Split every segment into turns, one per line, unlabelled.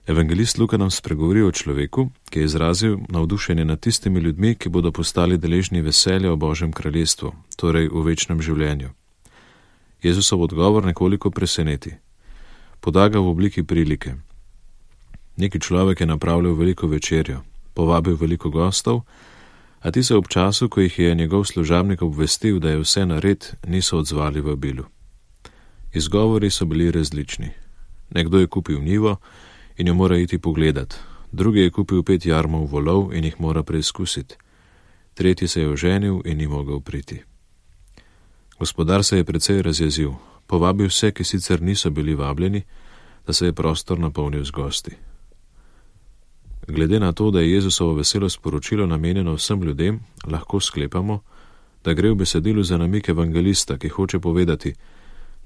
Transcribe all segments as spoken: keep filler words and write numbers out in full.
Evangelist Luka nam spregovori o človeku, ki je izrazil navdušenje nad tistimi ljudmi, ki bodo postali deležni veselja o Božjem kraljestvu, torej v večnem življenju. Jezusov odgovor nekoliko preseneti. Poda ga v obliki prilike. Neki človek je napravljal veliko večerjo, povabil veliko gostov, a ti se ob času, ko jih je njegov služabnik obvestil, da je vse nared, niso odzvali vabilu. Izgovori so bili različni. Nekdo je kupil njivo in jo mora iti pogledat, drugi je kupil pet jarmov volov in jih mora preizkusiti, tretji se je oženil in ni mogel priti. Gospodar se je precej razjezil, povabil vse, ki sicer niso bili vabljeni, da se je prostor napolnil z gosti. Glede na to, da je Jezusovo veselo sporočilo namenjeno vsem ljudem, lahko sklepamo, da gre v besedilu za namik evangelista, ki hoče povedati,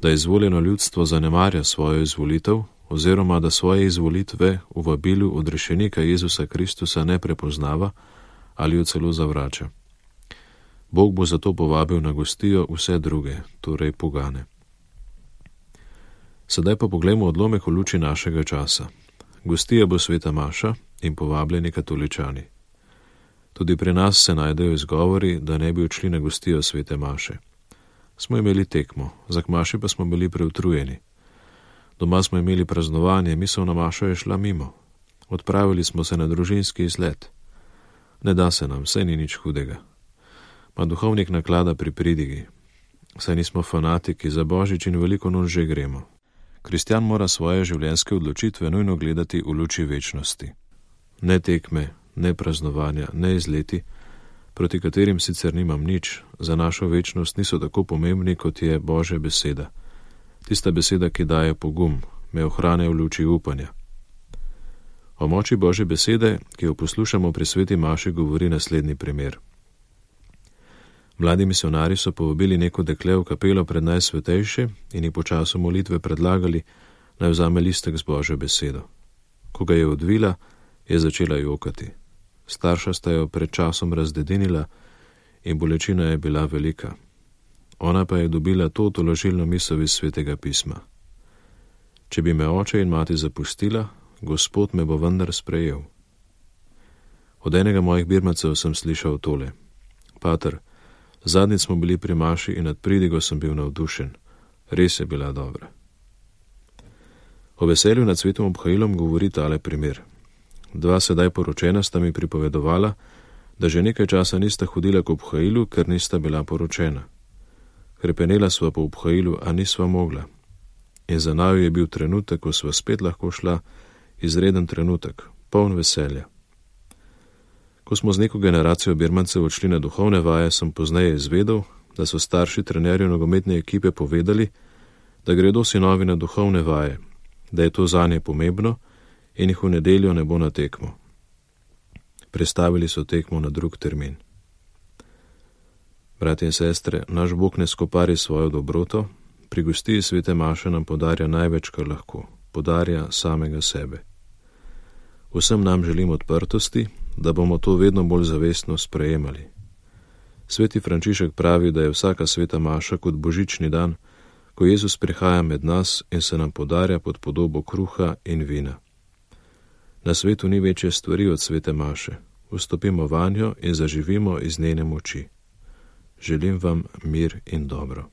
da izvoljeno ljudstvo zanemarja svojo izvolitev oziroma da svoje izvolitve v vabilu odrešenika Jezusa Kristusa ne prepoznava ali jo celo zavrača. Bog bo zato povabil na gostijo vse druge, torej pogane. Sedaj pa poglejmo odlomek v luči našega časa. Gostija bo sveta maša in povabljeni katoličani. Tudi pri nas se najdejo izgovori, da ne bi odšli na gostijo svete maše. Smo imeli tekmo, za k maši pa smo bili preutrujeni. Doma smo imeli praznovanje, misel na mašo je šla mimo. Odpravili smo se na družinski izlet. Ne da se nam, saj ni nič hudega. Ma duhovnik naklada pri pridigi. Saj nismo fanatiki, za Božič in veliko noč že gremo. Kristjan mora svoje življenjske odločitve nujno gledati v luči večnosti. Ne tekme, ne praznovanja, ne izleti, proti katerim sicer nimam nič, za našo večnost niso tako pomembni, kot je Božja beseda. Tista beseda, ki daje pogum, me ohranja v luči upanja. O moči Božje besede, ki jo poslušamo pri sveti maši, govori naslednji primer. Mladi misionari so povabili neko dekle v kapelo pred najsvetejše in ji po času molitve predlagali, naj vzame listek z Božjo besedo. Ko ga je odvila, je začela jokati. Starša sta jo pred časom razdedinila in bolečina je bila velika. Ona pa je dobila to tolažilno misel iz svetega pisma. Če bi me oče in mati zapustila, Gospod me bo vendar sprejel. Od enega mojih birmacev sem slišal tole. Pater, zadnjič smo bili pri maši in nad pridigo sem bil navdušen. Res je bila dobra. O veselju nad svetom obhajilom govori tale primer. Dva sedaj poročena sta mi pripovedovala, da že nekaj časa nista hodila k obhajilu, ker nista bila poročena. Hrepenela sva po obhajilu, a nisva mogla. In za naju je bil trenutek, ko sva spet lahko šla, izreden trenutek, poln veselja. Ko smo z neko generacijo birmancev odšli na duhovne vaje, sem pozneje izvedel, da so starši trenerju nogometne ekipe povedali, da gredo sinovi na duhovne vaje, da je to zanje pomembno in jih v nedeljo ne bo na tekmo. Prestavili so tekmo na drug termin. Bratje in sestre, naš Bog ne skopari svojo dobroto, pri gostiji svete maše nam podarja največ, kar lahko, podarja samega sebe. Vsem nam želim odprtosti, da bomo to vedno bolj zavestno sprejemali. Sveti Frančišek pravi, da je vsaka sveta maša kot božični dan, ko Jezus prihaja med nas in se nam podarja pod podobo kruha in vina. Na svetu ni večje stvari od svete maše. Vstopimo vanjo in zaživimo iz njene moči. Želim vam mir in dobro.